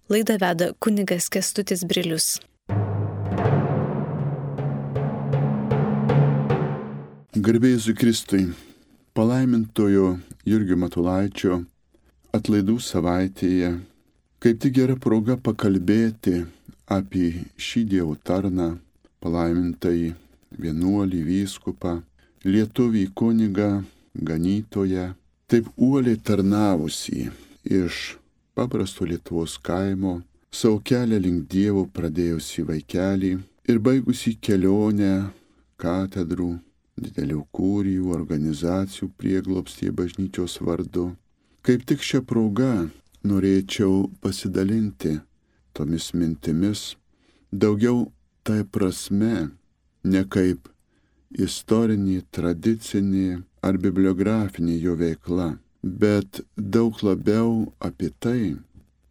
Laidą veda kunigas Kęstutis Brilius. Garbė Jėzui Kristui, palaimintojo Jurgio Matulaičio atlaidų savaitėje, kaip tik gera proga pakalbėti apie šį Dievo tarną, palaimintąjį vienuolį, vyskupą, lietuvį kunigą, ganytoją, taip uoliai tarnavusį iš paprasto Lietuvos kaimo, savo kelią link Dievo pradėjusį vaikelį ir baigusį kelionę katedrų, didelių kurijų, organizacijų prieglobstyje bažnyčios vardu. Kaip tik šią progą norėčiau pasidalinti tomis mintimis, daugiau tai prasme, ne kaip istorinė, tradicinė ar bibliografinė jo veikla, bet daug labiau apie tai,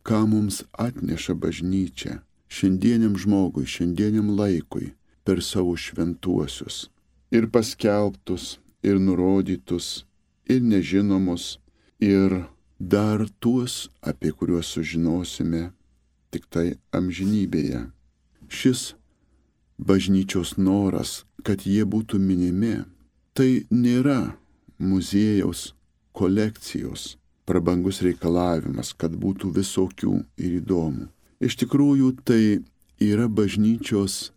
ką mums atneša bažnyčia šiandieniam žmogui, šiandieniam laikui per savo šventuosius. Ir paskelbtus, ir nurodytus, ir nežinomus, ir dar tuos, apie kuriuos sužinosime tik tai amžinybėje. Šis bažnyčios noras, kad jie būtų minimi, tai nėra muziejaus kolekcijos prabangus reikalavimas, kad būtų visokių ir įdomų. Iš tikrųjų, tai yra bažnyčios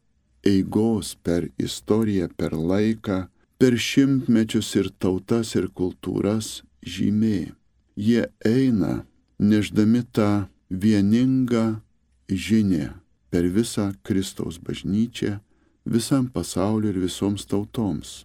eigos per istoriją, per laiką, per šimtmečius ir tautas ir kultūras žymė. Jie eina nešdami tą vieningą žinią per visą Kristaus bažnyčią, visam pasauliu ir visoms tautoms.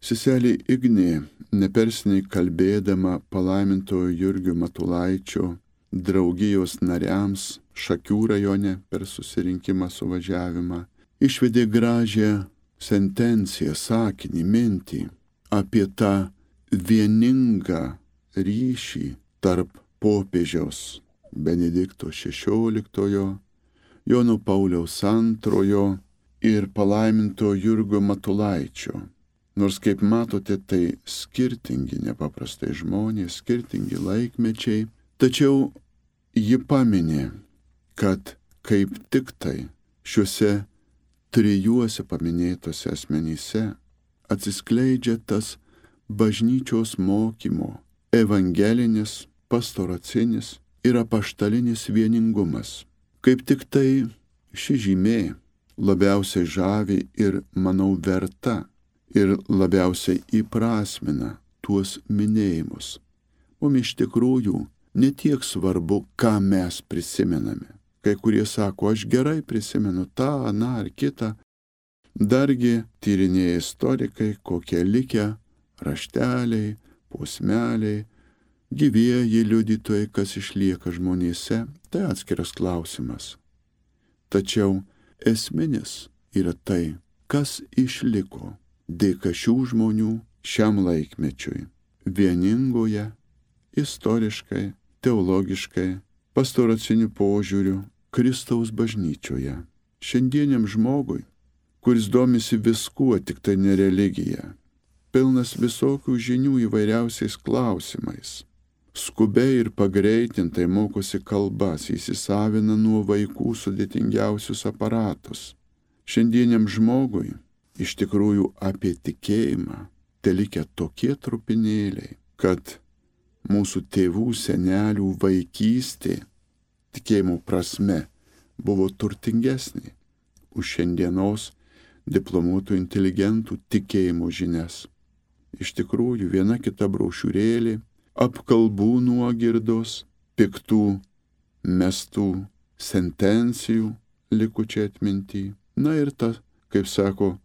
Seselė Ignė, neperseniai kalbėdama palaimintojo Jurgio Matulaičio draugijos nariams Šakių rajone per susirinkimą suvažiavimą, išvedė gražią sentenciją, sakinį, mintį apie tą vieningą ryšį tarp popiežiaus Benedikto XVI, Jono Pauliaus II ir palaiminto Jurgio Matulaičio. Nors, kaip matote, tai skirtingi nepaprastai žmonės, skirtingi laikmečiai, tačiau ji paminė, kad kaip tik tai šiuose trijuose paminėtose asmenyse atsiskleidžia tas bažnyčios mokymo, evangelinis, pastoracinis ir apaštalinis vieningumas. Kaip tik tai ši žymė labiausiai žavi ir, manau, verta ir labiausiai įprasmina tuos minėjimus. Mums iš tikrųjų ne tiek svarbu, ką mes prisimename. Kai kurie sako, aš gerai prisimenu tą, aną ar kitą. Dargi tyrinėja istorikai, kokie likę rašteliai, posmeliai, gyvieji liudytojai, kas išlieka žmonėse, tai atskiras klausimas. Tačiau esminis yra tai, kas išliko dėka šių žmonių šiam laikmečiui, vieningoje, istoriškai, teologiškai, pastoraciniu požiūriu Kristaus bažnyčioje. Šiandieniam žmogui, kuris domisi viskuo, tik tai ne religija, pilnas visokių žinių įvairiausiais klausimais, skubiai ir pagreitintai mokosi kalbas, įsisavina nuo vaikų sudėtingiausius aparatus. Šiandieniam žmogui iš tikrųjų apie tikėjimą telikę tokie trupinėliai, kad mūsų tėvų, senelių vaikystė tikėjimo prasme buvo turtingesnė už šiandienos diplomuotų inteligentų tikėjimo žinias. Iš tikrųjų, viena kita brošiūrėlė, apkalbų nuogirdos, piktų mestų sentencijų likučiai atminty. Na ir ta, kaip sako,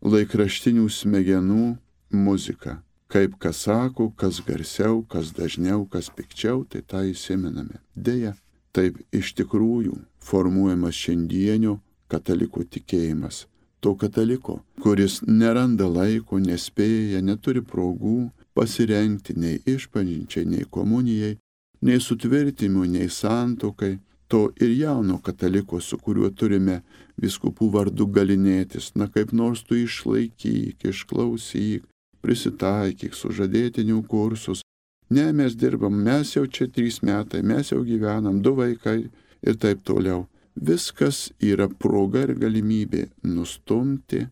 laikraštinių smegenų muzika. Kaip kas sako, kas garsiau, kas dažniau, kas pikčiau, tai tą įsimename. Deja, taip iš tikrųjų formuojamas šiandienio kataliko tikėjimas. To kataliko, kuris neranda laiko, nespėja, neturi progų pasirengti nei išpažinčiai, nei komunijai, nei sutvirtimui, nei santuokai. To ir jauno kataliko, su kuriuo turime vyskupų vardu galinėtis, na kaip nors tu išlaikyk, išklausyk, prisitaikyk, sužadėtinių kursus. Ne, mes dirbam, mes jau čia 3 metai, mes jau gyvenam, 2 vaikai ir taip toliau. Viskas yra proga ir galimybė nustumti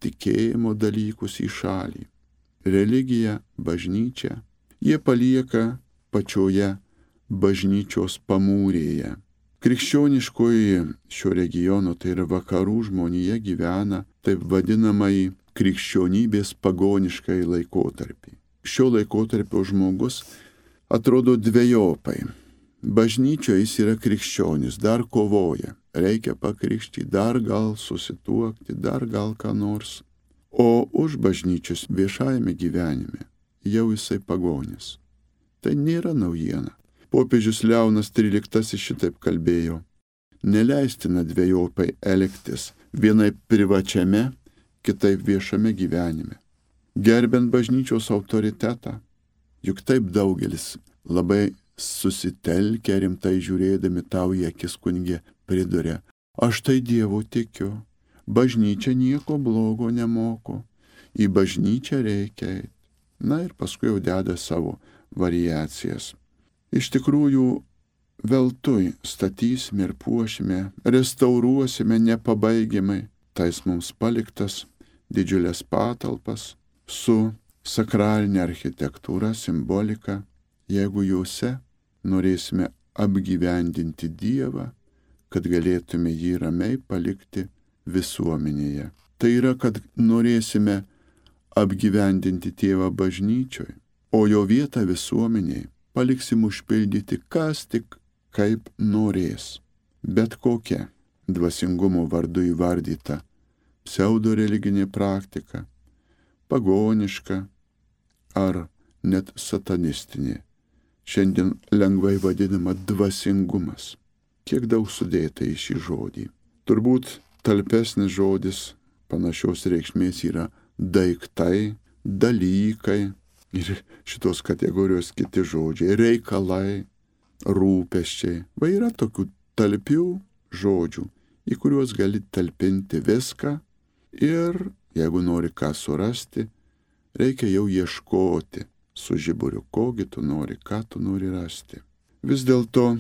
tikėjimo dalykus į šalį. Religija, bažnyčia, jie palieka pačioje bažnyčios pamūrėje. Krikščioniškoji šio regiono, tai yra vakarų žmonija, gyvena taip vadinamai krikščionybės pagoniškai laikotarpį. Šio laikotarpio žmogus atrodo dvejopai. Bažnyčioje jis yra krikščionis, dar kovoja, reikia pakrikštyti, dar gal susituokti, dar gal ką nors. O už bažnyčios viešajame gyvenime jau jisai pagonis. Tai nėra naujiena. Popiežius Leonas XIII šitaip kalbėjo. Neleistina dvejopai elgtis, vienai privačiame, kitaip viešame gyvenime. Gerbent bažnyčios autoritetą, juk taip daugelis labai susitelkę rimtai žiūrėdami tau į akis kunige priduria. Aš tai Dievu tikiu, bažnyčia nieko blogo nemoko, į bažnyčią reikia eiti. Na ir paskui jau deda savo variacijas. Iš tikrųjų, veltui statysime ir puošime, restauruosime nepabaigiamai tais mums paliktas didžiulės patalpas su sakralinė architektūra, simbolika, jeigu juose norėsime apgyvendinti Dievą, kad galėtume jį ramiai palikti visuomenėje. Tai yra, kad norėsime apgyvendinti Tėvą bažnyčioje, o jo vietą visuomenėje paliksim užpildyti kas tik kaip norės. Bet kokia dvasingumo vardu įvardyta pseudo religinė praktika, pagoniška ar net satanistinė, šiandien lengvai vadinama dvasingumas. Kiek daug sudėta į šį žodį. Turbūt talpesnis žodis panašios reikšmės yra daiktai, dalykai ir šitos kategorijos kiti žodžiai, reikalai, rūpesčiai. Va yra tokių talpių žodžių, į kuriuos gali talpinti viską ir jeigu nori ką surasti, reikia jau ieškoti su žiburiu, kogi tu nori, ką tu nori rasti. Vis dėlto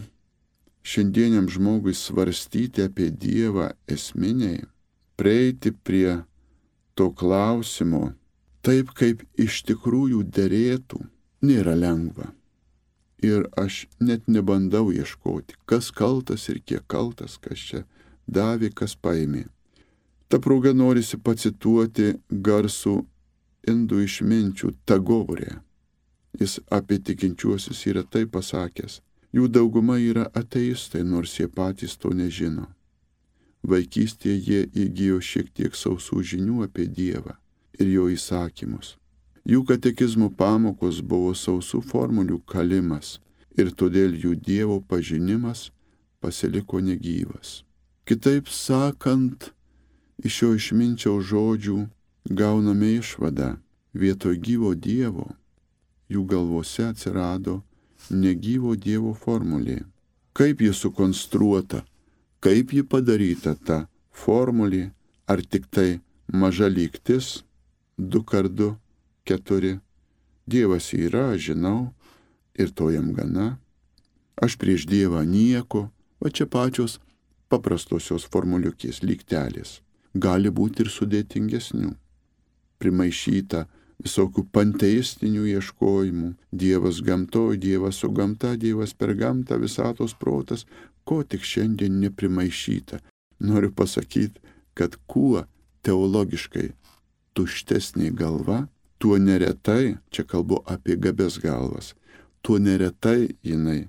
šiandieniam žmogui svarstyti apie Dievą esminiai, prieiti prie to klausimo taip, kaip iš tikrųjų derėtų, nėra lengva. Ir aš net nebandau ieškoti, kas kaltas ir kiek kaltas, kas čia davė, kas paėmė. Ta proga norisi pacituoti garsų indų išminčių Tagorę. Jis apie tikinčiuosius yra taip pasakęs. Jų dauguma yra ateistai, nors jie patys to nežino. Vaikystėje jie įgijo šiek tiek sausų žinių apie Dievą ir jo įsakymus. Jų katekizmo pamokos buvo sausų formulių kalimas ir todėl jų Dievo pažinimas pasiliko negyvas. Kitaip sakant, iš šio išminčiaus žodžių gauname išvadą, vietoj gyvo Dievo jų galvose atsirado negyvo Dievo formulė. Kaip ji sukonstruota, kaip ji padaryta ta formulė, ar tik tai maža lygtis, 2x2, 4. Dievas yra, žinau, ir to jam gana. Aš prieš Dievą nieko, o čia pačios paprastosios formuliukės, lygtelės. Gali būti ir sudėtingesnių. Primaišyta visokių panteistinių ieškojimų. Dievas gamtoj, Dievas su gamta, Dievas per gamtą, visatos protas, ko tik šiandien neprimaišyta. Noriu pasakyti, kad kuo teologiškai tuštesnė galva, tuo neretai, čia kalbu apie gabes galvas, tuo neretai jinai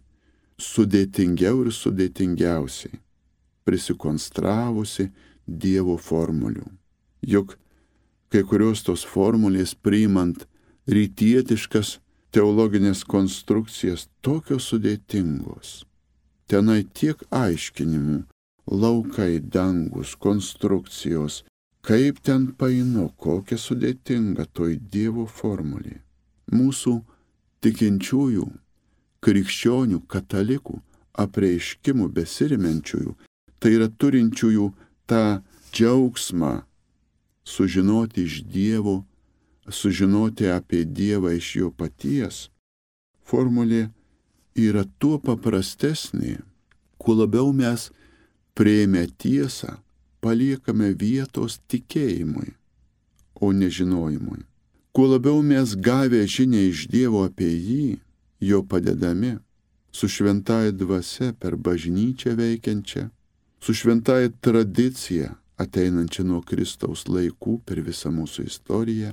sudėtingiau ir sudėtingiausiai prisikonstravusi Dievo formulių. Juk kai kurios tos formulės priimant rytietiškas teologinės konstrukcijas tokios sudėtingos. Tenai tiek aiškinimų, laukai, dangus, konstrukcijos, kaip ten painu, kokia sudėtinga toj Dievo formulė. Mūsų tikinčiųjų, krikščionių, katalikų, apreiškimų besirimenčiųjų, tai yra turinčiųjų tą džiaugsmą sužinoti iš Dievo, sužinoti apie Dievą iš jo paties, formulė yra tuo paprastesnė, Kuo labiau mes priėmę tiesą, paliekame vietos tikėjimui, o nežinojimui. Kuo labiau mes gavę žinią iš Dievo apie jį, jo padedami, su šventąja dvasia per bažnyčią veikiančią, su šventąja tradicija ateinančia nuo Kristaus laikų per visą mūsų istoriją,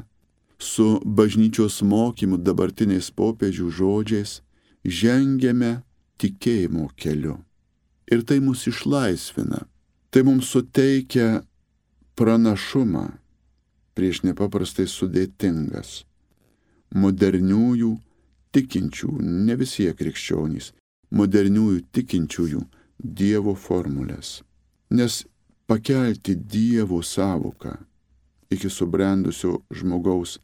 su bažnyčios mokymu dabartiniais popiežių žodžiais, žengiame tikėjimo keliu. Ir tai mus išlaisvina. Tai mums suteikia pranašumą prieš nepaprastai sudėtingas, moderniųjų tikinčiųjų, ne visi krikščionys, moderniųjų tikinčiųjų Dievo formulės. Nes pakelti Dievo sąvoką iki subrendusio žmogaus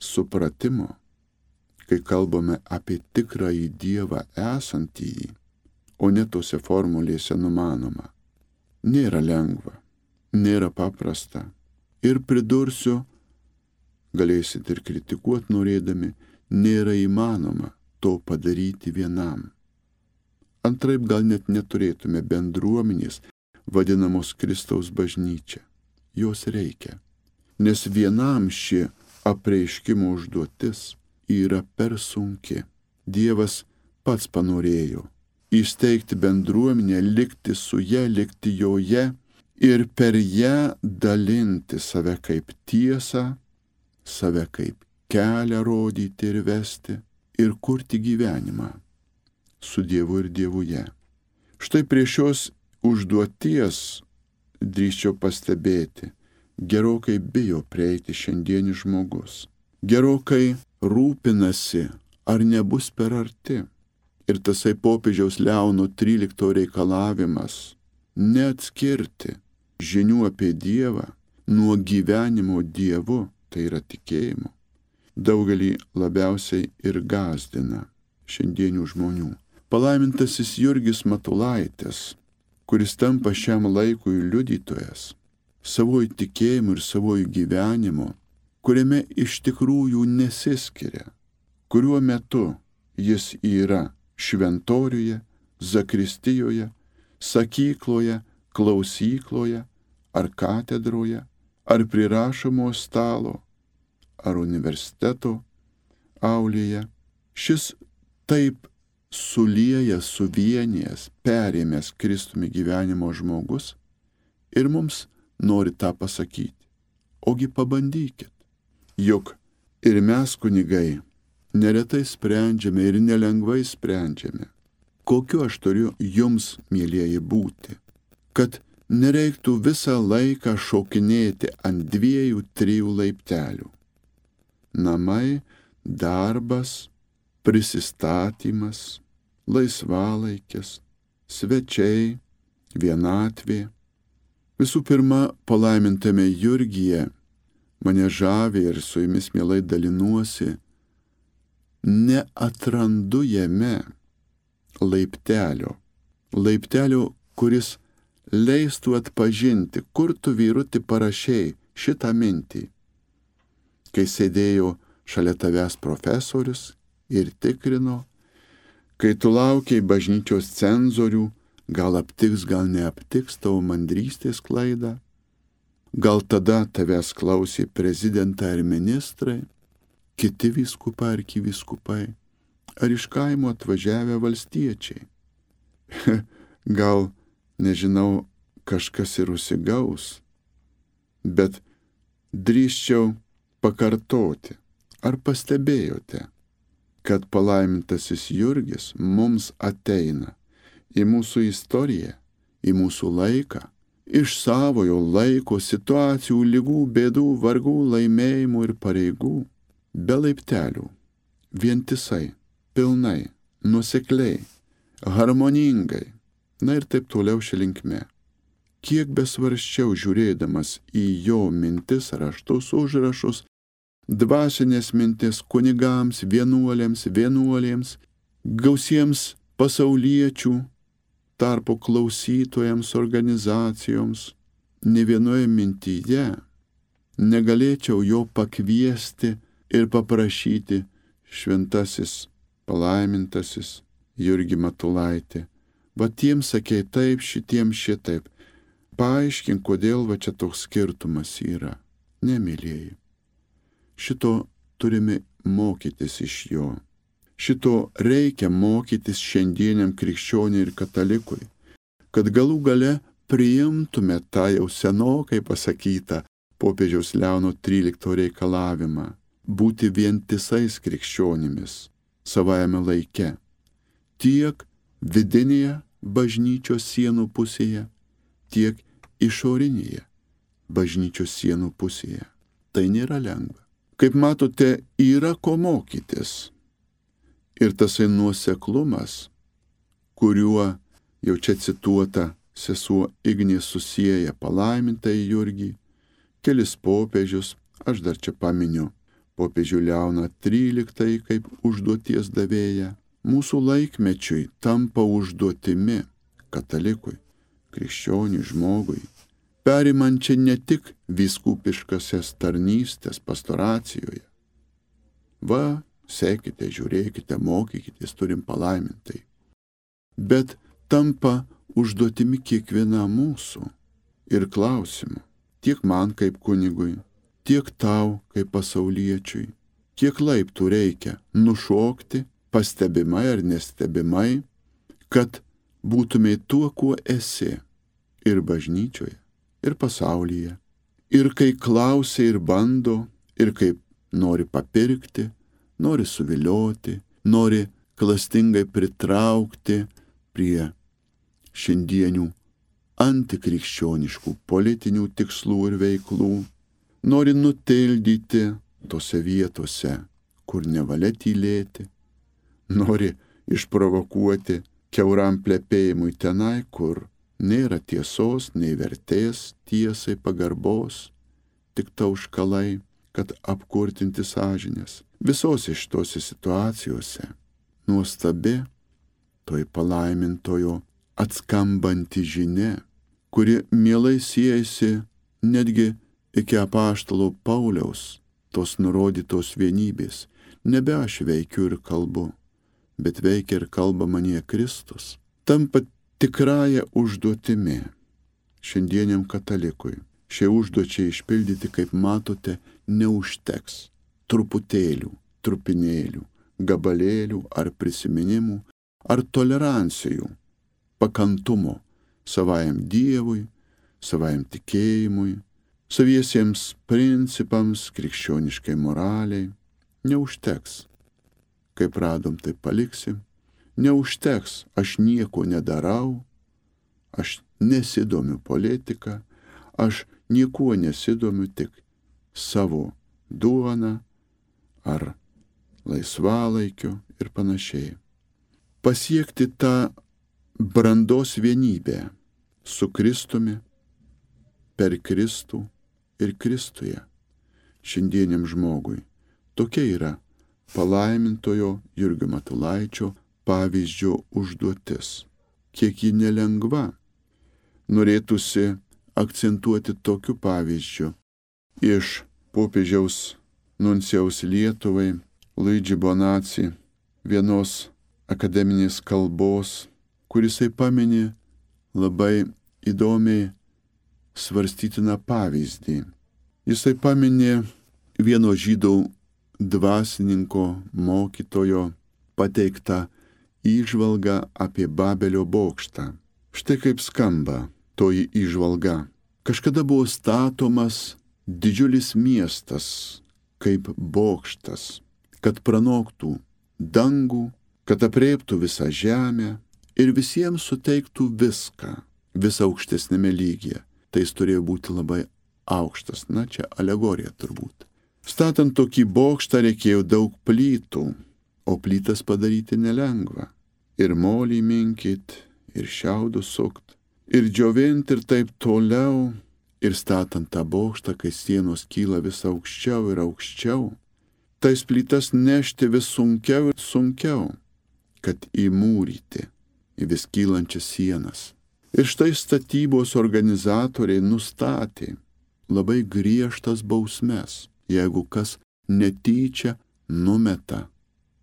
supratimo, kai kalbame apie tikrąjį Dievą esantįjį, o ne tose formulėse numanoma, nėra lengva, nėra paprasta. Ir pridursiu, galėsit ir kritikuoti norėdami, nėra įmanoma to padaryti vienam. Antraip gal net neturėtume bendruomenės, vadinamos Kristaus bažnyčia. Jos reikia, nes vienam ši apreiškimo užduotis yra per sunki. Dievas pats panorėjo įsteigti bendruomenę, likti su ja, likti joje ir per ją dalinti save kaip tiesą, save kaip kelią rodyti ir vesti ir kurti gyvenimą su Dievu ir Dievuje. Štai prie šios užduoties, drįsčiau pastebėti, gerokai bijo prieiti šiandienis žmogus. Gerokai rūpinasi, ar nebus per arti. Ir tasai popiežiaus Leono XIII reikalavimas neatskirti žinių apie Dievą nuo gyvenimo Dievu, tai yra tikėjimo, daugelį labiausiai ir gąsdina šiandienių žmonių. Palaimintasis Jurgis Matulaitis, kuris tampa šiam laikui liudytojas, savojų tikėjimu ir savojų gyvenimu, kuriame iš tikrųjų nesiskiria, kuriuo metu jis yra šventoriuje, zakristijoje, sakykloje, klausykloje, ar katedroje, ar prie rašomo stalo, ar universiteto aulėje. Šis taip suliejęs, suvienijęs, perėmęs Kristumi gyvenimo žmogus ir mums nori tą pasakyti. Ogi pabandykit, juk ir mes kunigai neretai sprendžiame ir nelengvai sprendžiame. Kokiu aš turiu jums, mielieji, būti, kad nereiktų visą laiką šokinėti ant 2-3 laiptelių. Namai, darbas, prisistatymas, laisvalaikis, svečiai, vienatvė. Visų pirma, palaimintame Jurgyje mane žavi ir su jumis mielai dalinuosi, neatrandu jame laiptelio, kuris leistų atpažinti, kur tu, vyruti, parašei šitą mintį, kai sėdėjo šalia tavęs profesorius ir tikrino, kai tu laukiai bažnyčios cenzorių, gal aptiks, gal neaptiks tavo mandrystės klaidą, gal tada tavęs klausė prezidentai ir ministrai, kiti vyskupai ar arkivyskupai, ar iš kaimo atvažiavę valstiečiai. Gal, nežinau, kažkas ir užsigaus, bet drįsčiau pakartoti, ar pastebėjote, kad palaimintasis Jurgis mums ateina į mūsų istoriją, į mūsų laiką, iš savojo laiko, situacijų, ligų, bėdų, vargų, laimėjimų ir pareigų, be laiptelių, vientisai, pilnai, nuosekliai, harmoningai, na ir taip toliau šia linkme. Kiek besvarščiau žiūrėdamas į jo mintis, raštus, užrašus, dvasinės mintis kunigams, vienuolėms, gausiems pasauliečių, tarpo klausytojams, organizacijoms, ne vienoje mintyje negalėčiau jo pakviesti ir paprašyti: šventasis, palaimintasis Jurgi Matulaitį, Va tiems sakei taip, šitiems šitaip. Paaiškink, kodėl va čia toks skirtumas yra. Nemylėjai. Šito turime mokytis iš jo. Šito reikia mokytis šiandieniam krikščioniui ir katalikui, kad galų gale priimtume tą jau senokai pasakytą popiežiaus Leono XIII reikalavimą būti vientisais krikščionimis savajame laike, tiek vidinėje bažnyčios sienų pusėje, tiek išorinėje bažnyčios sienų pusėje. Tai nėra lengva. Kaip matote, yra ko mokytis. Ir tasai nuoseklumas, kuriuo jau čia cituota sesuo Ignė susieja palaimintąjį Jurgį, kelis popiežius, aš dar čia paminiu popiežių Leoną XIII kaip užduoties davėją, mūsų laikmečiui tampa užduotimi katalikui, krikščioniui žmogui, perimančia ne tik vyskupiškasias tarnystės pastoracijoje. Va, sekite, žiūrėkite, mokykitės, turim palaimintai. Bet tampa užduotimi kiekvienam mūsų ir klausimu, tiek man kaip kunigui, tiek tau kaip pasauliečiui, kiek laiptų reikia nušokti, pastebimai ar nestebimai, kad būtumei tuo, kuo esi ir bažnyčioje, ir pasaulyje. Ir kai klausia ir bando, ir kaip nori papirkti, nori suvilioti, nori klastingai pritraukti prie šiandienių antikrikščioniškų politinių tikslų ir veiklų, nori nutildyti tose vietose, kur nevalia tylėti, nori išprovokuoti kiauram plepėjimui tenai, kur nėra tiesos, nei vertės tiesai pagarbos, tik tauškalai, kad apkurtinti sąžinės. Visose šitose situacijose nuostabi toj palaimintojo atskambanti žinia, kuri mielai siejasi netgi iki apaštalo Pauliaus tos nurodytos vienybės. Nebe aš veikiu ir kalbu, bet veikia ir kalba manyje Kristus. Tampa tikrąją užduotimi šiandieniam katalikui. Šie užduočiai išpildyti, kaip matote, neužteks truputėlių, trupinėlių, gabalėlių ar prisiminimų, ar tolerancijų, pakantumo savajam Dievui, savajam tikėjimui, saviesiems principams, krikščioniškai moraliai. Neužteks. Kaip radom, tai paliksim. Neužteks, aš nieko nedarau, aš nesidomiu politika, aš niekuo nesidomiu, tik savo duoną ar laisvalaikiu ir panašiai. Pasiekti tą brandos vienybę su Kristumi, per Kristų ir Kristuje šiandieniam žmogui. Tokia yra palaimintojo Jurgio Matulaičio pavyzdžio užduotis. Kiek ji nelengva, norėtųsi akcentuoti tokiu pavyzdžiu iš popiežiaus nuncijaus Lietuvai Luigi Bonacci vienos akademinės kalbos, kurisai pamini labai įdomiai svarstytiną pavyzdį. Jisai pamini vieno žydų dvasininko mokytojo pateiktą įžvalgą apie Babelio bokštą. Štai kaip skamba toji įžvalga. Kažkada buvo statomas didžiulis miestas kaip bokštas, kad pranoktų dangų, kad aprėptų visą žemę ir visiems suteiktų viską, visą aukštesnėme lygyje. Tai jis turėjo būti labai aukštas. Na, čia alegorija turbūt. Statant tokį bokštą reikėjo daug plytų, o plytas padaryti nelengva. Ir molį minkit, ir šiaudus sukt, ir džiovint ir taip toliau. Ir statant tą bokštą, kai sienos kyla vis aukščiau ir aukščiau, tais plytas nešti vis sunkiau ir sunkiau, kad įmūryti į vis kylančias sienas. Ir štai statybos organizatoriai nustatė labai griežtas bausmes, jeigu kas netyčia numeta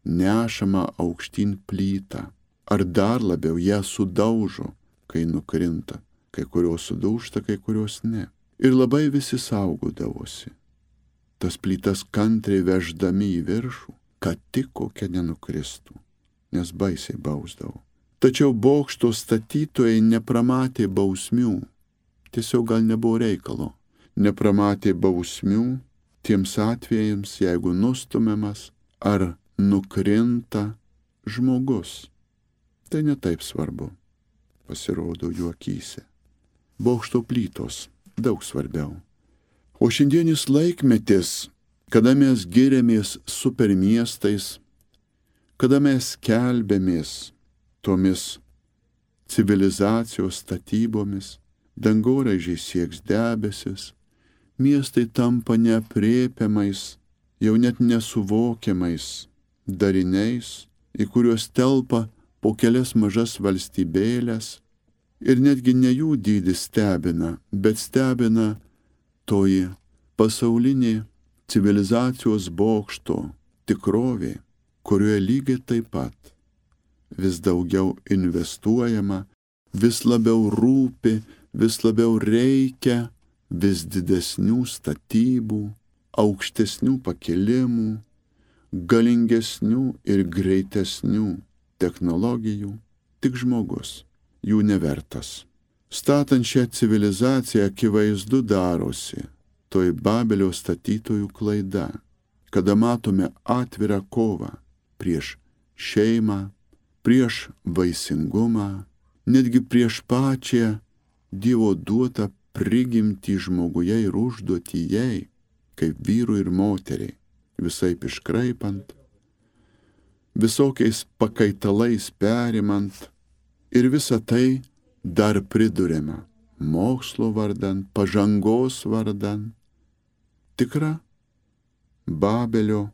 nešamą aukštyn plytą ar dar labiau ją sudaužo, kai nukrinta. Kai kurios sudūžta, kai kurios ne. Ir labai visi saugodavosi. Tas plytas kantriai veždami į viršų, kad tik kokia nenukristų, nes baisiai bausdavo. Tačiau bokšto statytojai nepramatė bausmių. Tiesiog gal nebuvo reikalo. Nepramatė bausmių tiems atvejams, jeigu nustumiamas ar nukrinta žmogus. Tai netaip svarbu, pasirodo jų akyse. Bokšto plytos daug svarbiau. O šiandienis laikmetis, kada mes giriamės supermiestais, kada mes skelbėmės tomis civilizacijos statybomis, dangoraižiai sieks debesis, miestai tampa neaprėpiamais, jau net nesuvokiamais dariniais, į kuriuos telpa po kelias mažas valstybėlės, ir netgi ne jų dydis stebina, bet stebina toji pasaulinė civilizacijos bokšto tikrovė, kurioje lygiai taip pat vis daugiau investuojama, vis labiau rūpi, vis labiau reikia vis didesnių statybų, aukštesnių pakilimų, galingesnių ir greitesnių technologijų, tik žmogus jų nevertas. Statant šią civilizaciją akivaizdu darosi toj Babelio statytojų klaida, kada matome atvirą kovą prieš šeimą, prieš vaisingumą, netgi prieš pačią Dievo duotą prigimtį žmoguje ir užduotį jai, kaip vyrui ir moteriai, visaip iškraipant, visokiais pakaitalais perimant, ir visą tai dar priduriama mokslo vardan, pažangos vardan. Tikra Babelio,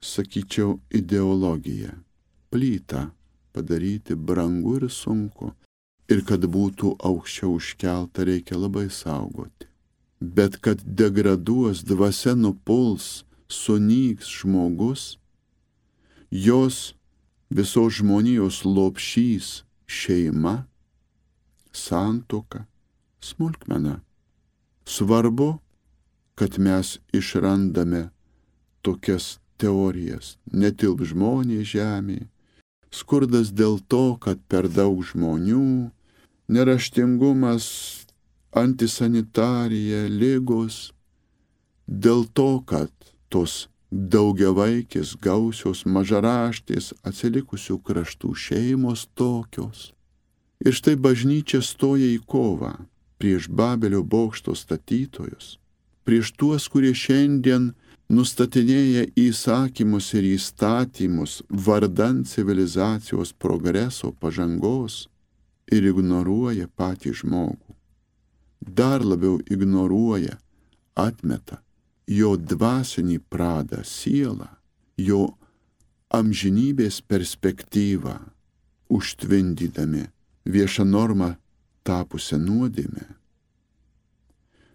sakyčiau, ideologija. Plytą padaryti brangu ir sunku. Ir kad būtų aukščiau užkelta, reikia labai saugoti. Bet kad degraduos, dvasia nupuls, sunyks žmogus, jos visos žmonijos lopšys šeima, santuoka, smulkmena. Svarbu, kad mes išrandame tokias teorijas. Netilp žmonės žemėje, skurdas dėl to, kad per daug žmonių, neraštingumas, antisanitarija, ligos, dėl to, kad tos daugiavaikės, gausios, mažaraštės, atsilikusių kraštų šeimos tokios. Ir štai bažnyčia stoja į kovą prieš Babelio bokšto statytojus, prieš tuos, kurie šiandien nustatinėja įsakymus ir įstatymus vardan civilizacijos progreso, pažangos ir ignoruoja patį žmogų. Dar labiau ignoruoja, atmeta jo dvasinį pradą, sielą, jo amžinybės perspektyvą, užtvindydami viešą normą tapusią nuodėmę.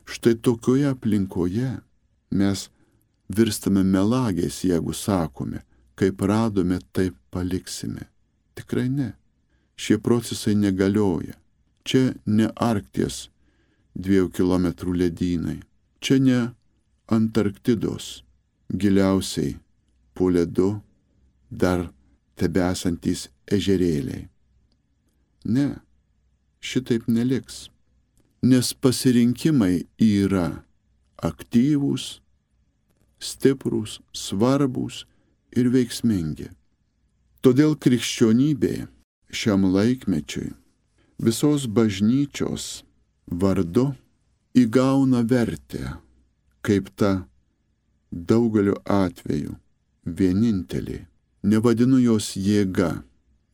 Štai tokioje aplinkoje mes virstame melagiais, jeigu sakome, kaip radome, taip paliksime. Tikrai ne. Šie procesai negalioja. Čia ne Arkties 2 kilometrų ledynai. Čia ne Antarktidos giliausiai po ledu dar tebesantys ežerėliai. Ne, šitaip neliks. Nes pasirinkimai yra aktyvūs, stiprūs, svarbūs ir veiksmingi. Todėl krikščionybė šiam laikmečiui visos bažnyčios vardu įgauna vertę kaip ta daugeliu atveju vienintelė. Nevadinu jos jėga,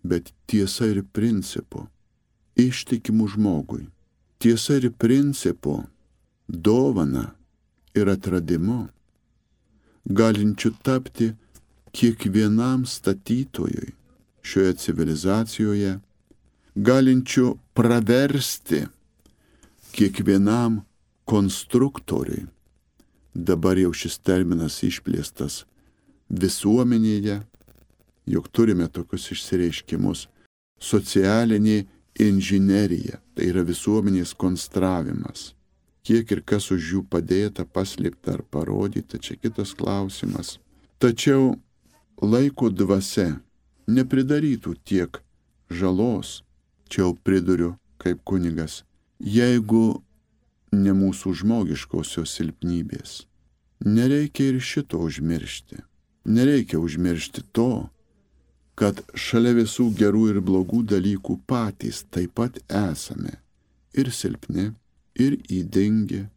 bet tiesa ir principu, ištikimų žmogui. Tiesa ir principu, dovana ir atradimu, galinčių tapti kiekvienam statytojui šioje civilizacijoje, galinčių praversti kiekvienam konstruktoriui. Dabar jau šis terminas išplėstas visuomenėje, jog turime tokius išsireiškimus socialinė inžinerija, tai yra visuomenės konstravimas. Kiek ir kas už jų padėta, paslėpta ar parodyta, čia kitas klausimas. Tačiau laiko dvasia nepridarytų tiek žalos, čia jau priduriu kaip kunigas, jeigu ne mūsų žmogiškosios silpnybės. Nereikia ir šito užmiršti. Nereikia užmiršti to, kad šalia visų gerų ir blogų dalykų patys taip pat esame ir silpni, ir ydingi,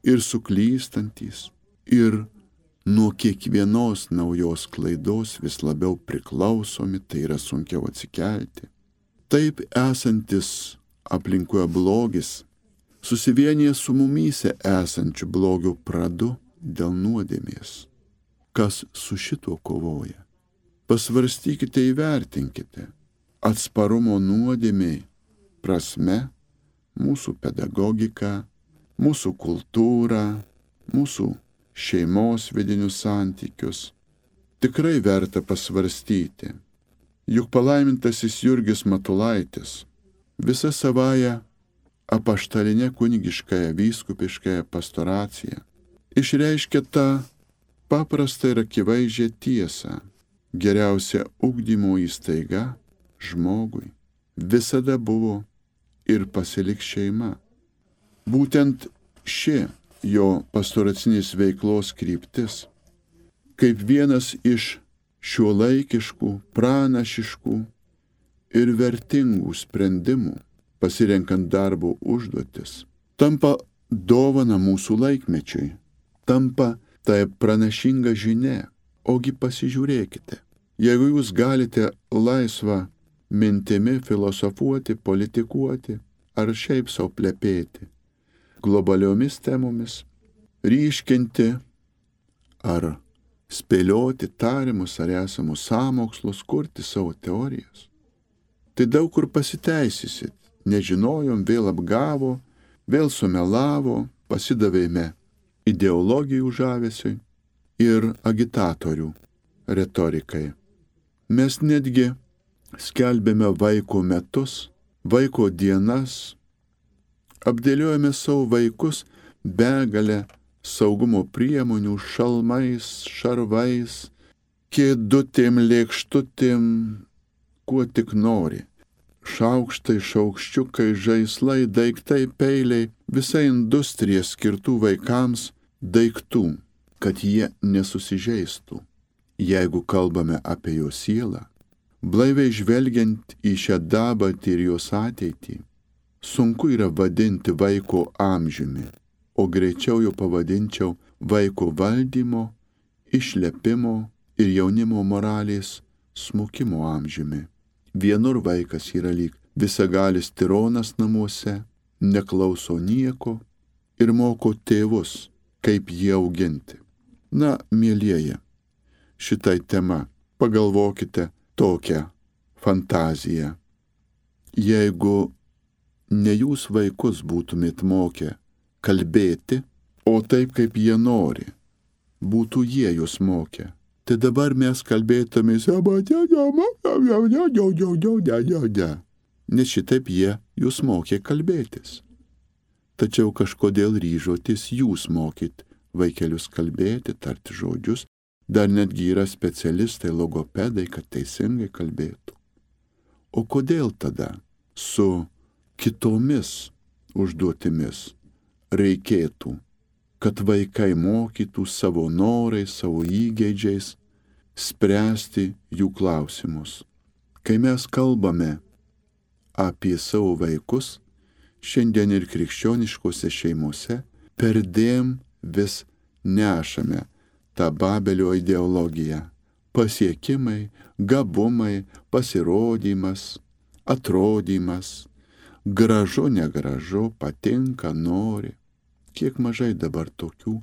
ir suklystantis, ir nuo kiekvienos naujos klaidos vis labiau priklausomi, tai yra sunkiau atsikelti. Taip esantis aplinkoje blogis susivienyje su mumyse esančiu blogio pradu dėl nuodėmės. Kas su šituo kovoja? Pasvarstykite, įvertinkite atsparumo nuodėmei prasme mūsų pedagogiką, mūsų kultūrą, mūsų šeimos vidinius santykius. Tikrai verta pasvarstyti. Juk palaimintasis Jurgis Matulaitis visą savają apaštalinę kunigiškąją vyskupiškąją pastoraciją išreiškia tą paprastą ir akivaizdžią tiesą. Geriausia ugdymo įstaiga žmogui visada buvo ir pasiliks šeima. Būtent ši jo pastoracinės veiklos kryptis, kaip vienas iš šiuolaikiškų, pranašiškų ir vertingų sprendimų, pasirenkant darbo užduotis, tampa dovana mūsų laikmečiui, tampa tai pranašinga žinia. Ogi pasižiūrėkite, jeigu jūs galite laisvą mintimi filosofuoti, politikuoti ar šiaip sau plepėti globaliomis temomis, ryškinti ar spėlioti tarimus ar esamus sąmokslus, kurti savo teorijas, tai daug kur pasiteisysit. Nežinojom, vėl apgavo, vėl sumelavo, pasidavėme ideologijų žavesiui ir agitatorių retorikai. Mes netgi skelbėme vaiko metus, vaiko dienas, apdėliojame savo vaikus begalę saugumo priemonių, šalmais, šarvais, kėdutėm, lėkštutėm, kuo tik nori. Šaukštai, šaukščiukai, žaislai, daiktai, peiliai, visa industrija skirtų vaikams daiktų, kad jie nesusižeistų. Jeigu kalbame apie jo sielą, blaiviai žvelgiant į šią dabartį ir jos ateitį, sunku yra vadinti vaiko amžiumi, o greičiau jau pavadinčiau vaiko valdymo, išlepimo ir jaunimo moralės smukimo amžiumi. Vienur vaikas yra lyg visagalis tironas namuose, neklauso nieko ir moko tėvus, kaip jį auginti. Na, mielieji, šitai tema pagalvokite tokią fantaziją. Jeigu ne jūs vaikus būtumėt mokę kalbėti, o taip, kaip jie nori, būtų jie jūs mokę, tai dabar mes kalbėtumės, nes šitaip jie jūs mokė kalbėtis. Tačiau kažkodėl ryžotės jūs mokyt vaikelius kalbėti, tarti žodžius, dar netgi yra specialistai, logopedai, kad teisingai kalbėtų. O kodėl tada su kitomis užduotimis reikėtų, kad vaikai mokytų savo norais, savo įgeidžiais spręsti jų klausimus? Kai mes kalbame apie savo vaikus, šiandien ir krikščioniškose šeimose, perdėm vis nešame tą Babelio ideologiją. Pasiekimai, gabumai, pasirodymas, atrodymas, gražu, negražu, patinka, nori. Kiek mažai dabar tokių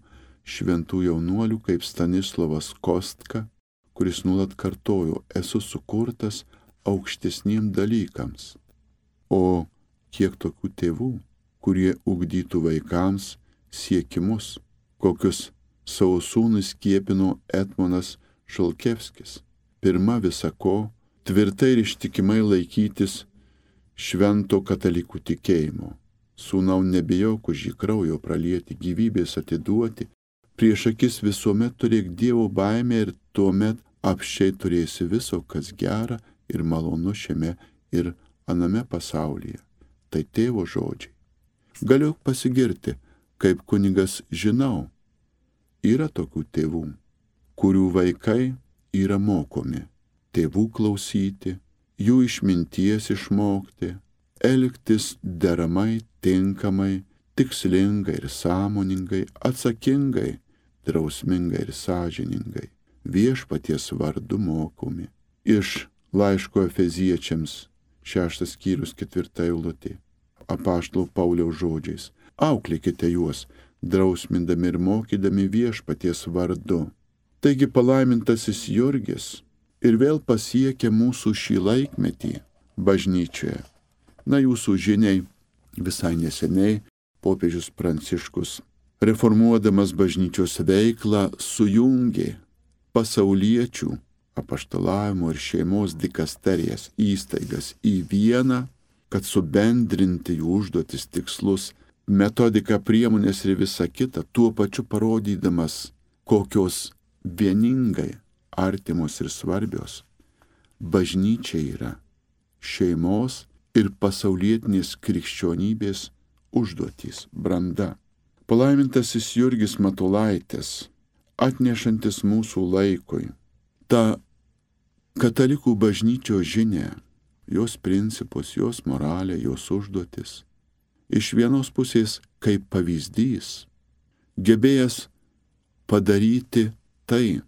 šventų jaunuolių kaip Stanislovas Kostka, kuris nuolat kartojo, esu sukurtas aukštesniem dalykams. O kiek tokių tėvų, kurie ugdytų vaikams siekimus, kokius savo sūnus skiepino Etmonas Šalkevskis. Pirma visako tvirtai ir ištikimai laikytis švento katalikų tikėjimo. Sūnau, nebijok už jį kraujo pralieti, gyvybės atiduoti, prieš akis visuomet turėk Dievo baimę ir tuomet apsčiai turėsi viso, kas gera ir malonu šiame ir aname pasaulyje. Tai tėvo žodžiai. Galiu pasigirti, kaip kunigas žinau, yra tokių tėvų, kurių vaikai yra mokomi, tėvų klausyti, jų išminties išmokti, elgtis deramai, tinkamai, tikslingai ir sąmoningai, atsakingai, drausmingai ir sąžiningai, viešpaties vardu mokomi. Iš laiško Efeziečiams 6 skyrius 4 eilutė, apaštalo Pauliaus žodžiais: auklėkite juos, drausmindami ir mokydami viešpaties vardu. Taigi palaimintasis Jurgis ir vėl pasiekia mūsų šį laikmetį bažnyčioje. Na, jūsų žiniai, visai neseniai popiežius Pranciškus, reformuodamas bažnyčios veiklą, sujungė pasauliečių apaštalavimo ir šeimos dikasterijas įstaigas į vieną, kad subendrinti jų užduotis, tikslus, metodiką, priemonės ir visą kitą, tuo pačiu parodydamas, kokios vieningai artimos ir svarbios bažnyčia yra šeimos ir pasaulietinės krikščionybės užduotys, branda. Palaimintasis Jurgis Matulaitis, atnešantis mūsų laikui tą katalikų bažnyčios žinią, jos principus, jos moralę, jos užduotis, iš vienos pusės kaip pavyzdys, gebėjęs padaryti tai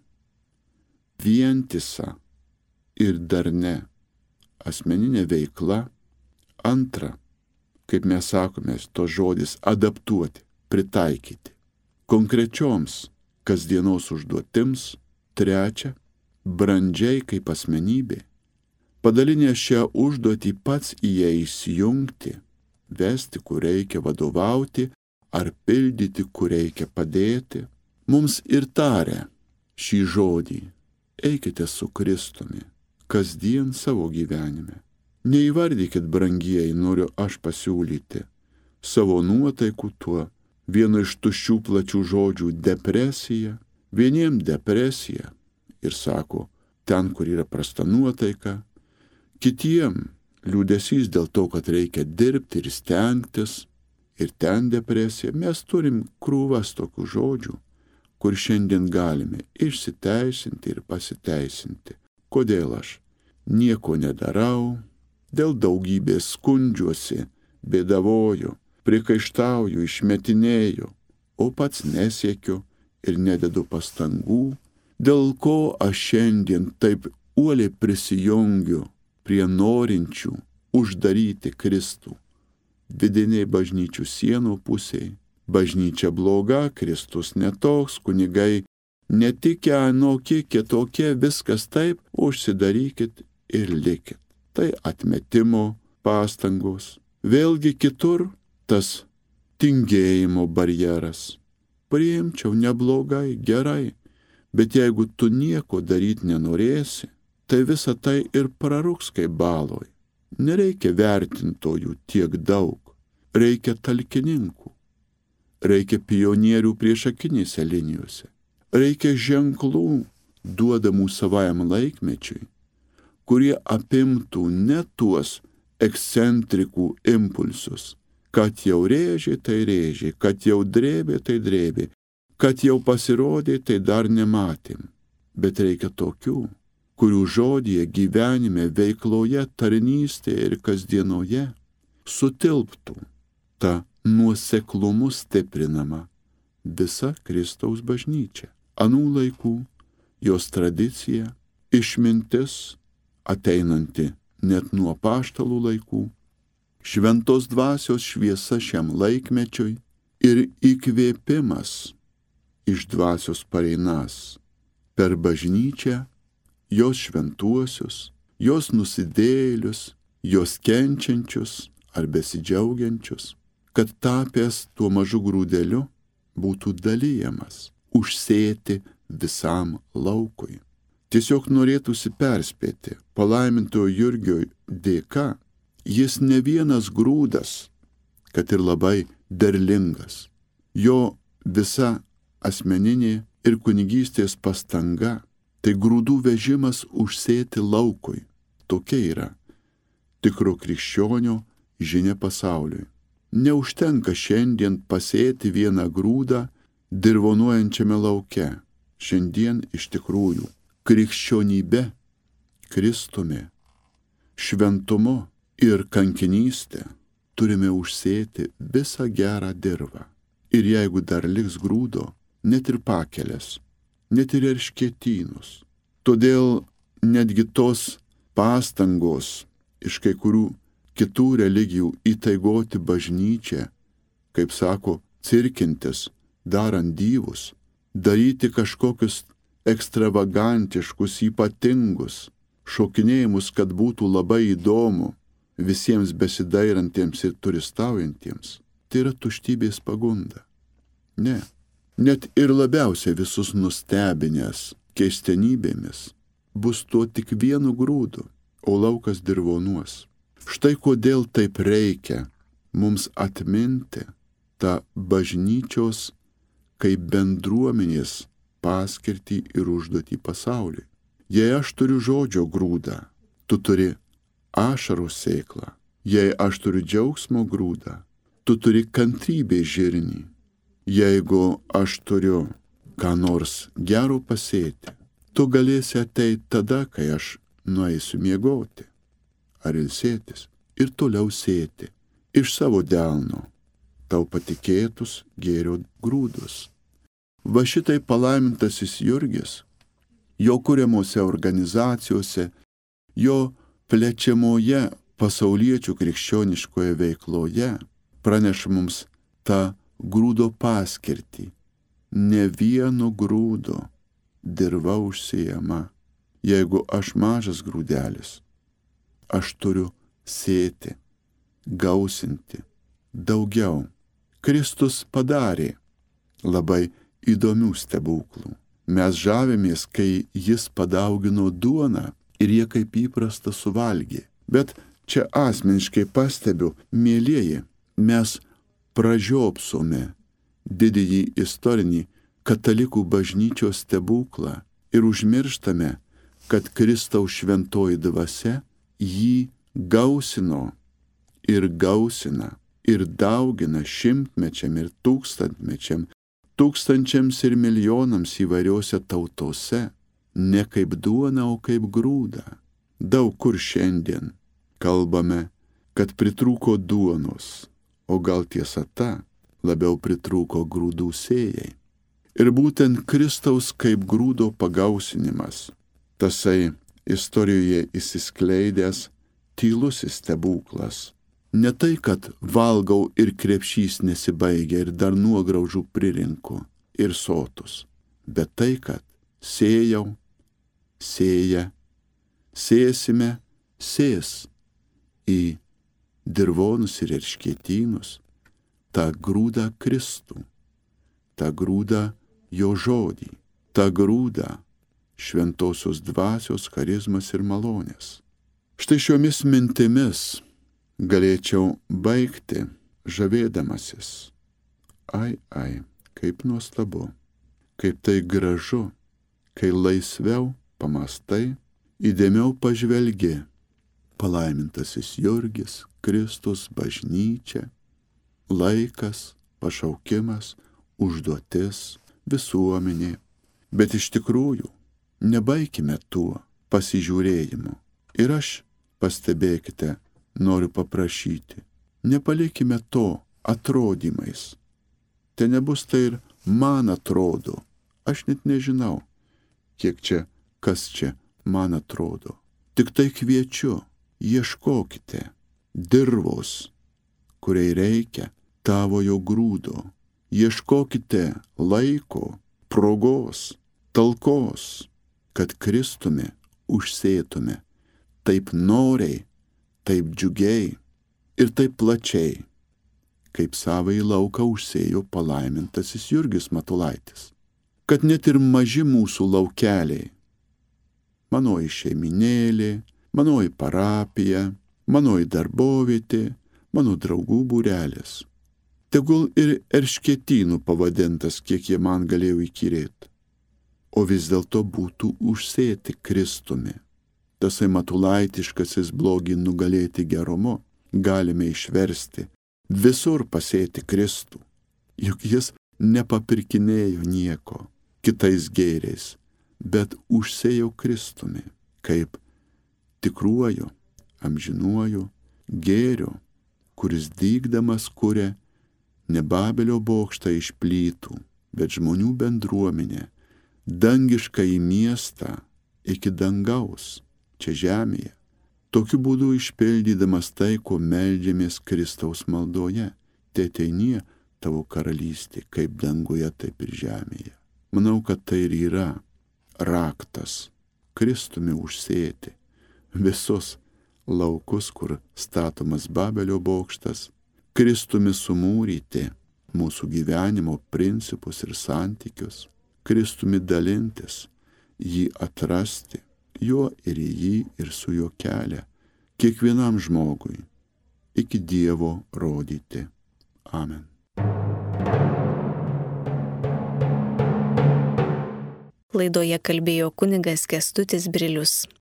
vientisą ir darne asmeninė veikla. Antra, kaip mes sakome, to žodis adaptuoti, pritaikyti konkrečioms kasdienos užduotims. Trečia, brandžiai kaip asmenybė, padalinę šią užduotį pats į ją įsijungti, vesti, kur reikia, vadovauti ar pildyti, kur reikia padėti. Mums ir taria šį žodį: eikite su Kristumi kasdien savo gyvenime. Neįvardykit, brangieji, noriu aš pasiūlyti savo nuotaikų tuo vienu iš tuščių plačių žodžių depresija. Vieniem depresija ir sako, ten, kur yra prasta nuotaika, kitiem liūdesys dėl to, kad reikia dirbti ir stengtis, ir ten depresija. Mes turim krūvas tokių žodžių, kur šiandien galime išsiteisinti ir pasiteisinti. Kodėl aš nieko nedarau, dėl daugybės skundžiuosi, bėdavoju, prikaištauju, išmetinėju, o pats nesiekiu ir nededu pastangų, dėl ko aš šiandien taip uoliai prisijungiu prie norinčių uždaryti Kristų vidiniai bažnyčių sienų pusėje. Bažnyčia bloga, Kristus netoks, kunigai netikę, anokie, kitokie, viskas taip, užsidarykit ir likit. Tai atmetimo pastangos. Vėlgi kitur tas tingėjimo barjeras. Priimčiau, neblogai, gerai, bet jeigu tu nieko daryti nenorėsi, tai visa tai ir prarūks kaip baloj. Nereikia vertintojų tiek daug, reikia talkininkų, reikia pionierių priešakinėse linijose, reikia ženklų duodamų savajam laikmečiui, kurie apimtų ne tuos ekscentrikų impulsus, kad jau rėžė, tai rėžė, kad jau drėbė, tai drėbė, kad jau pasirodė, tai dar nematėm. Bet reikia tokių, kurių žodyje, gyvenime, veikloje, tarnystėje ir kasdienoje sutilptų ta nuoseklumu stiprinama visa Kristaus bažnyčia. Anų laikų, jos tradicija, išmintis, ateinanti net nuo apaštalų laikų, šventos dvasios šviesa šiam laikmečiui ir įkvėpimas iš dvasios pareinas per bažnyčią, jos šventuosius, jos nusidėjėlius, jos kenčiančius ar besidžiaugiančius, kad tapęs tuo mažu grūdeliu būtų dalyjamas, užsėti visam laukui. Tiesiog norėtųsi perspėti, palaimintojo Jurgio dėka, jis ne vienas grūdas, kad ir labai derlingas. Jo visa asmeninė ir kunigystės pastanga tai grūdų vežimas užsėti laukui. Tokia yra tikro krikščionio žinia pasauliui. Neužtenka šiandien pasėti vieną grūdą dirvonuojančiame lauke. Šiandien iš tikrųjų krikščionybė, Kristumi, šventumu ir kankinystė turime užsėti visą gerą dirvą. Ir jeigu dar liks grūdo, net ir pakelės, net ir erškėtynus. Todėl netgi tos pastangos iš kai kurių kitų religijų įtaigoti bažnyčią, kaip sako, cirkintis, darant dyvus, daryti kažkokius ekstravagantiškus, ypatingus šokinėjimus, kad būtų labai įdomu visiems besidairantiems ir turistaujantiems. Tai yra tuštybės pagunda. Ne. Net ir labiausiai visus nustebinęs keistenybėmis bus tuo tik vienu grūdu, o laukas dirvonuos. Štai kodėl taip reikia mums atminti tą bažnyčios kaip bendruomenės paskirtį ir užduotį pasauliui. Jei aš turiu žodžio grūdą, tu turi ašarų sėklą. Jei aš turiu džiaugsmo grūdą, tu turi kantrybės žirnį. Jeigu aš turiu ką nors gero pasėti, tu galėsi ateiti tada, kai aš nueisiu miegoti ar ilsėtis ir toliau sėti iš savo delno tau patikėtus gėrio grūdus. Va šitai palaimintasis Jurgis, jo kuriamose organizacijose, jo plečiamoje pasauliečių krikščioniškoje veikloje praneša mums tą grūdo paskirtį. Ne vieno grūdo dirva užsėjama. Jeigu aš mažas grūdelis, aš turiu sėti, gausinti daugiau. Kristus padarė labai įdomių stebuklų. Mes žavimės, kai jis padaugino duoną ir jie kaip įprasta suvalgė. Bet čia asmeniškai pastebiu, mielieji, mes pražiopsome didįjį istorinį katalikų bažnyčios stebuklą ir užmirštame, kad Kristaus šventoji dvasia jį gausino ir gausina ir daugina šimtmečiam ir tūkstantmečiam, tūkstančiams ir milijonams įvairiose tautose, ne kaip duona, o kaip grūdą. Daug kur šiandien kalbame, kad pritrūko duonos, o gal tiesa ta, labiau pritrūko grūdų sėjai. Ir būtent Kristaus kaip grūdo pagausinimas, tasai istorijoje įsiskleidęs tylusis stebuklas. Ne tai, kad valgau ir krepšys nesibaigia ir dar nuograužų pririnku ir sotus, bet tai, kad sėjau, sėja, sėsime, sės į dirvonus ir erškėtynus tą grūdą Kristų, tą grūdą jo žodį, tą grūdą šventosios dvasios, charizmas ir malonės. Štai šiomis mintimis galėčiau baigti žavėdamasis. Ai, kaip nuostabu, kaip tai gražu, kai laisviau pamastai, įdėmiau pažvelgi. Palaimintasis Jurgis, Kristus, bažnyčia, laikas, pašaukimas, užduotis, visuomenė. Bet iš tikrųjų, nebaikime tuo pasižiūrėjimu. Ir aš, pastebėkite, noriu paprašyti, nepalikime to atrodymais. Te nebus tai ir man atrodo. Aš net nežinau, kiek čia, kas čia man atrodo. Tik tai kviečiu, ieškokite dirvos, kuriai reikia tavojo grūdo. Ieškokite laiko, progos, talkos, kad Kristumi užsėtume taip noriai, taip džiugiai ir taip plačiai, kaip savąjį lauką užsėjo palaimintasis Jurgis Matulaitis. Kad net ir maži mūsų laukeliai manoji šeiminėlė, manoji parapija, manoji darbovietė, mano draugų būrelis. Tegul ir erškėtynų pavadintas, kiek jie man galėjo įkyrėti, o vis dėlto būtų užsėti Kristumi. Tasai matulaitiškasis blogį nugalėti gerumu galime išversti visur pasėti Kristų, juk jis nepapirkinėjo nieko kitais gėriais, bet užsėjo Kristumi, kaip tikruoju, amžinuoju gėriu, kuris dygdamas kuria ne Babelio bokštą iš plytų, bet žmonių bendruomenę, dangišką į miestą iki dangaus, čia žemėje. Tokiu būdu išpildydamas tai, ko meldžiamės Kristaus maldoje, teateinie tavo karalystė, kaip danguje, taip ir žemėje. Manau, kad tai ir yra raktas Kristumi užsėti visus laukus, kur statomas Babelio bokštas, Kristumi sumūryti mūsų gyvenimo principus ir santykius, Kristumi dalintis, jį atrasti, juo ir į jį ir su juo kelią kiekvienam žmogui iki Dievo rodyti. Amen. Laidoje kalbėjo kunigas Kęstutis Brilius.